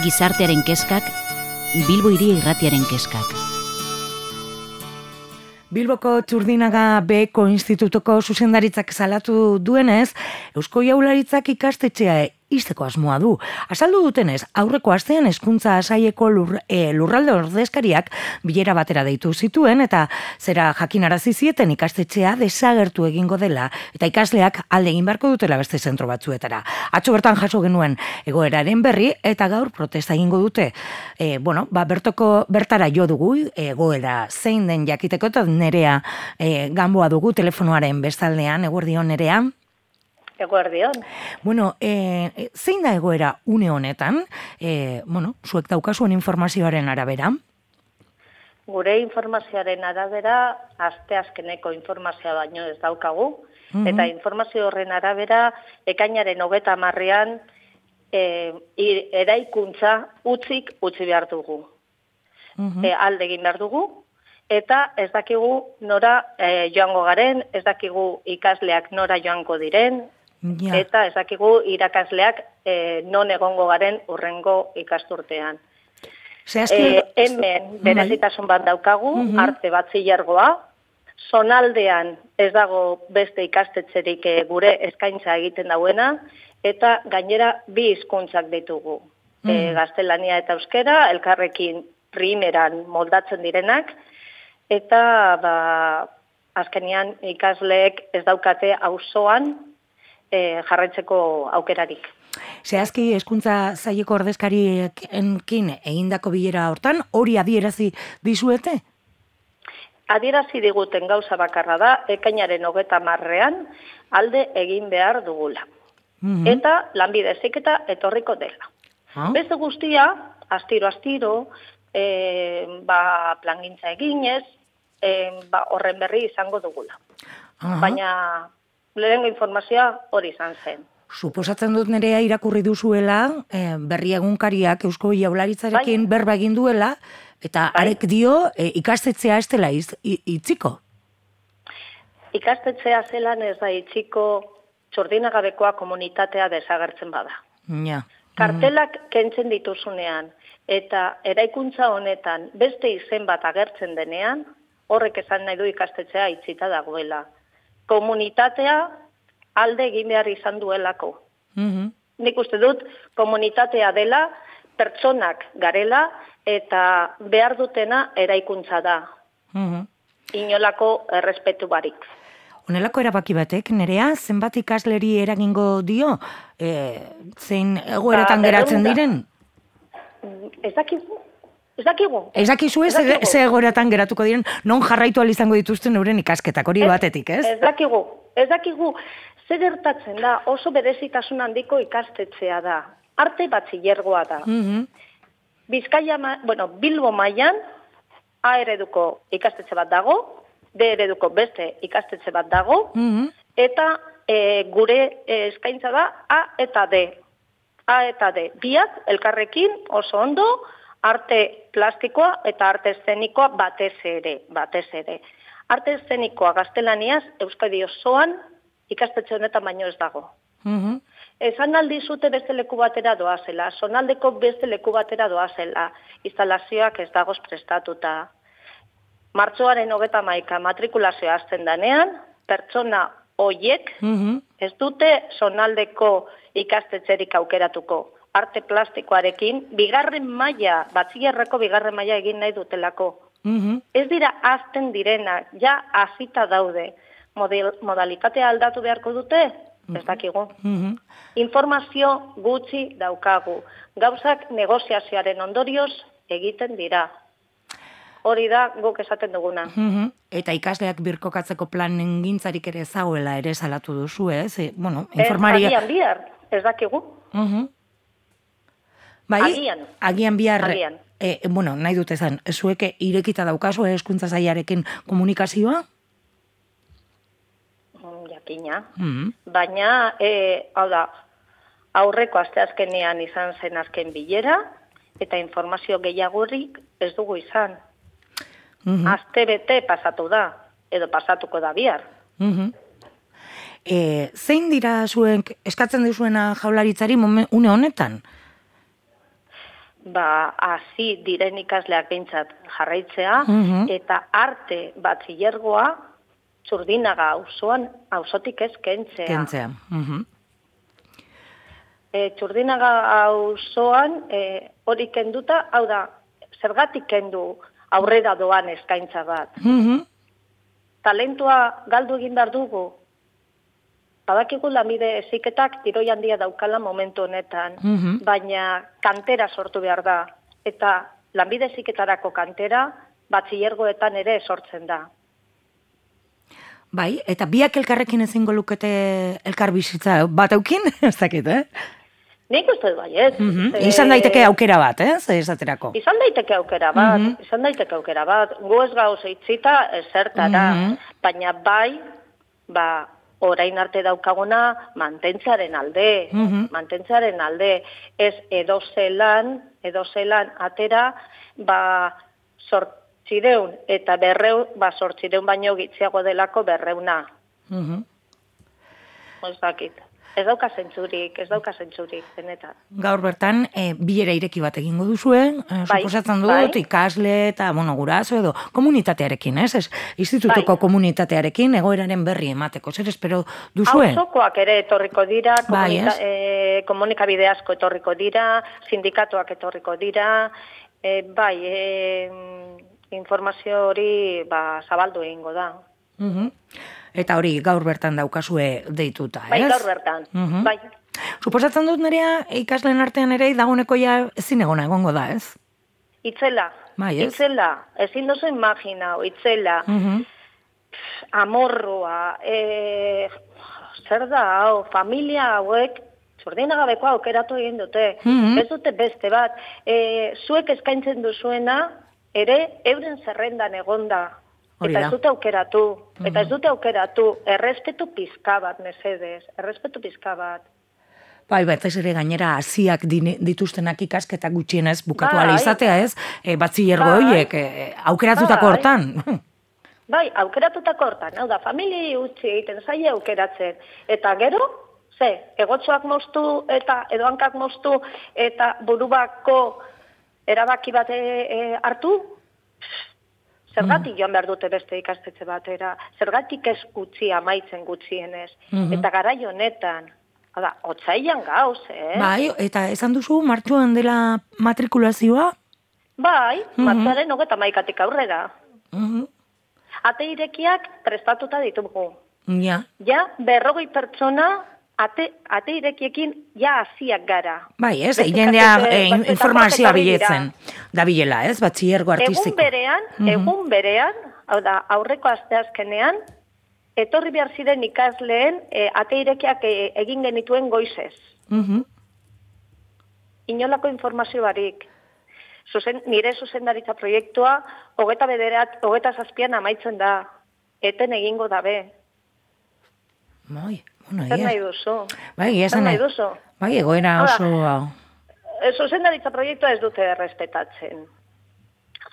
Gizartearen kezkak, Bilbo Hiria Irratiaren kezkak. Bilboko Txurdinaga Beheko Institutuko zuzendaritzak salatu duenez, Eusko Jaurlaritzak ikastetxea ixteko asmoa du. Azaldu dutenez, aurreko astean hezkuntza saileko lurralde ordezkariak bilera batera deitu zituen eta zera jakinarazi zieten ikastetxea desagertu egingo dela eta ikasleak alde egin beharko dutela beste zentro batzuetara. Atzo bertan jaso genuen egoeraren berri eta gaur protesta egingo dute. Bertara jo dugu egoera zein den jakiteko eta Nerea Gamboa dugu telefonoaren bestaldean. Eguerdion, Nerea. Eguerdion. Zein da egoera une honetan? Zuek daukazuen informazioaren arabera? Gure informazioaren arabera, asteazkeneko informazioa baino ez daukagu, eta informazio horren arabera, ekainaren 30ean eraikuntza utzi behar dugu. Alde egin behar dugu, eta ez dakigu nora joango garen, ez dakigu ikasleak nora joango diren, eta ez dakigu irakasleak non egongo garen urrengo ikasturtean. Hemen berezitasun bat daukagu, arte batzilergoa, zonaldean ez dago beste ikastetxerik gure eskaintza egiten dauena, eta gainera 2 hizkuntzak ditugu. Gaztelania eta euskera, elkarrekin primeran moldatzen direnak, eta azkenean ikasleek ez daukate auzoan jarraitzeko aukerarik. Zehazki hezkuntza saileko ordezkariekin egindako bilera hortan, hori adierazi dizuete? Adierazi diguten gauza bakarra da, ekainaren 30ean alde egin behar dugula. Eta lanbide heziketa etorriko dela. Beste guztia, astiro, plangintza eginez, horren berri izango dugula. Baina lehenengo informazioa hori izan zen. Suposatzen dut Nerea irakurri duzuela, berri egunkariak Eusko Jaurlaritzarekin berba egin duela, eta arek dio ikastetxea ez dela itziko. Ikastetxea zelan ez da itziko, Txurdinagabekoa komunitatea desagertzen bada. Kartelak kentzen dituzunean, eta eraikuntza honetan beste izen bat agertzen denean, horrek esan nahi du ikastetxea itzita dagoela. Komunitatea alde egin behar izan duelako. Nik uste dut, komunitatea dela, pertsonak garela, eta behar dutena eraikuntza da. Inolako errespetu barik. Honelako erabaki batek, Nerea, zenbat ikasleri eragingo dio? Zein egoeratan geratzen diren? Ez dakigu. Ez dakizu ze egoeratan geratuko diren, non jarraitu izango dituzten euren ikasketak, hori batetik, ez? Ez dakigu. Zer gertatzen da, oso berezitasun handiko ikastetxea da. Arte batzilergoa da. Bilbo mailan A ereduko ikastetxe bat dago, D ereduko beste ikastetxe bat dago, eta gure eskaintza da A eta D. Biak elkarrekin oso ondo, arte plastikoa eta arte eszenikoa batez ere. Arte eszenikoa gaztelaniaz Euskadi osoan ikastetxe honetan baino ez dago. Esan aldizute beste leku batera doazela, zonaldeko beste leku batera doazela, instalazioak ez dagoz prestatuta. Martxoaren 31 matrikulazioa hasten danean, pertsona hoiek ez dute zonaldeko ikastetxerik aukeratuko. Arte plastikoarekin, batzilerreko 2. maila egin nahi dutelako. Ez dira azten direnak, ja hasita daude. Modalitatea aldatu beharko dute? Ez dakigu. Informazio gutxi daukagu. Gauzak negoziazioaren ondorioz egiten dira. Hori da guk esaten duguna. Eta ikasleak birkokatzeko planen gintzarik ere zagoela ere salatu duzu, ez? Informaria... Agian bihar, ez dakigu. Agian bihar, nahi dut ezan, zuek irekita daukazu hezkuntza sailarekin komunikazioa? Jakina. Baina, aurreko asteazkenean izan zen azken bilera, eta informazio gehiagorik ez dugu izan. Astebete pasatu da, edo pasatuko da bihar. Zein dira zuek eskatzen dizuena Jaurlaritzari une honetan? hasi diren ikasleak behintzat jarraitzea, eta arte batxilergoa Txurdinaga auzotik ez kentzea. Txurdinaga auzoan hori kenduta, hau da, zergatik kendu aurrera doan eskaintza bat. Talentua galdu egin behar dugu. Badakigu lanbide heziketak tiroi handia daukala momentu honetan, baina kantera sortu behar da. Eta lanbide heziketarako kantera batxilergoetan ere sortzen da. Bai, eta biak elkarrekin ezingo lukete elkar bizitza bat aukin, ez dakit, Nik uste du baiet. Izan daiteke aukera bat, esaterako. Izan daiteke aukera bat. Gu ez gauz eitzita zertara, baina bai, orain arte daukaguna mantentzearen alde. Ez edozelan atera, sortzireun eta sortzireun baino gitziago delako 200. Ez dakit. Ez dauka zentzurik, benetan. Gaur bertan, bilera ireki bat egingo duzuen, suposatzen dut, ikasle eta, guraso edo komunitatearekin, ez? Institutuko komunitatearekin egoeraren berri emateko, zer espero duzuen? Auzokoak ere etorriko dira, komunikabide asko etorriko dira, sindikatuak etorriko dira, informazio hori zabaldu egingo da. Eta hori gaur bertan daukazue deituta, ez? Bai, gaur bertan, bai. Suposatzen dut nerea ikasleen artean ere dagoeneko ja ezin egongo da, ez? Itzela, ezin duzu imaginau, itzela, amorrua, zer da, familia hauek, Txurdinagabeko aukeratu egin dute, ez dute beste bat, zuek eskaintzen duzuena, ere euren zerrendan egonda. Eta ez dute aukeratu, errespetu pizka bat, mesedez, errespetu pizka bat. Bai, ez ere gainera hasiak dituztenak ikasketak gutxienez bukatu ala izatea, ez? Batxilergo horiek aukeratutako hortan. Bai, aukeratutako hortan, hau da, familii utzi egiten zaie aukeratzen. Eta gero, egotzoak moztu eta edoankak moztu eta burubako erabaki bat hartu, zergatik joan behar dute beste ikastetxe batera, zergatik ez utzi amaitzen gutxienez, eta garai honetan, otsailean gauz, Bai, eta esan duzu, martxoan dela matrikulazioa? Bai, martxoaren 31-tik aurrera. Ate irekiak prestatuta ditugu. Ja, 40 pertsona ate irekiekin hasiak gara. Bai, ez, jendea informazioa biletzen da bilela, ez, batxilergo artistiko. Egun berean, hau da, aurreko asteazkenean, etorri behar ziren ikasleen ate irekiak egin genituen goizez. Inolako informazio barik. Nire zuzendaritza proiektua 27an amaitzen da. Eten egingo dabe. Bai. Zer nahi duzu? Bai, egoera oso... Zuzendaritza proiektua ez dute errespetatzen.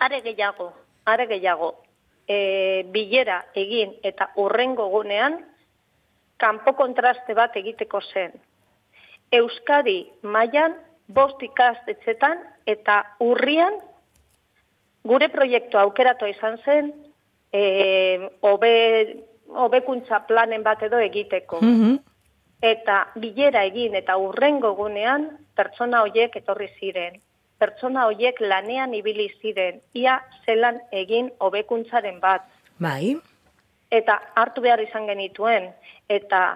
Are gehiago, bilera egin eta hurrengo gunean, kanpo kontraste bat egiteko zen. Euskadi mailan 5 ikastetxetan eta urrian gure proiektua aukeratu izan zen, hobekuntza planen bat edo egiteko. Eta bilera egin eta hurrengo gunean pertsona horiek etorri ziren. Pertsona horiek lanean ibili ziren, ia zelan egin hobekuntzaren bat. Bai. Eta hartu behar izan genituen, eta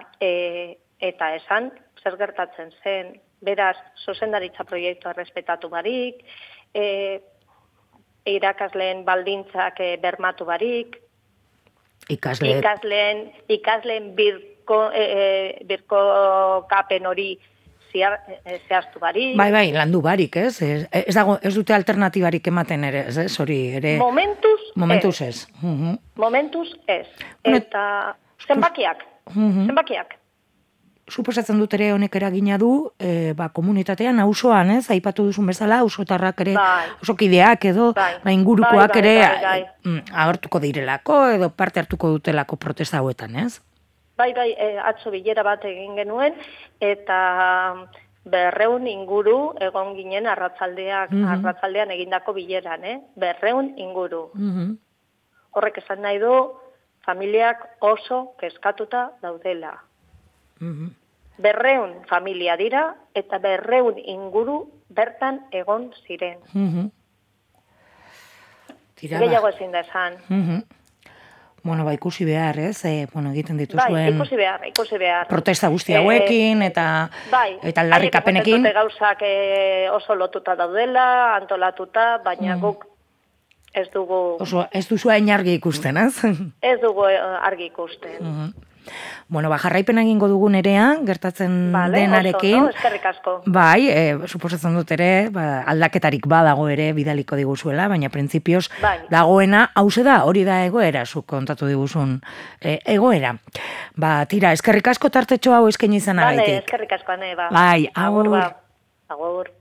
esan zer gertatzen zen. Beraz, zuzendaritza proiektua errespetatu barik, irakasleen baldintzak bermatu barik, ikasleen birkokapen hori zehaztu barik. Bai, landu barik, ez? Ez dute alternatibarik ematen ere, ez? Hori ere... Momentuz ez. Eta zenbakiak. Suposatzen dut ere honek eragina du, komunitatean, auzoan, ez? Aipatu duzun bezala, auzotarrak ere, auzokideak edo, ingurukoak ere agertuko direlako edo parte hartuko dutelako protesta hauetan, ez? Bai, atzo bilera bat egin genuen, eta 200 inguru egon ginen arratsaldean egindako bileran, 200 inguru. Horrek esan nahi du, familiak oso kezkatuta daudela. 200 familia dira, eta 200 inguru bertan egon ziren. Gehiago ezin da esan. Bueno, ikusi behar, ez? Egiten dituzuen... Bai, ikusi behar. Protesta guzti hauekin, eta aldarrikapenekin. Bai, gauzak oso lotuta daudela, antolatuta, baina guk ez dugu... Ez duzu hain argi ikusten, ez? Ez dugu argi ikusten. Bueno, jarraipen egingo dugu Nerea, gertatzen denarekin. Oso, eskerrik asko. Bai, suposatzen dut ere, aldaketarik badago ere bidaleko diguzuela, baina printzipioz dagoena, hause da, hori da egoera, zuk kontatu diguzun egoera. Tira, eskerrik asko tartetxo hau eskaini izanagatik. Eskerrik asko, ane, Bai, agur. Agur.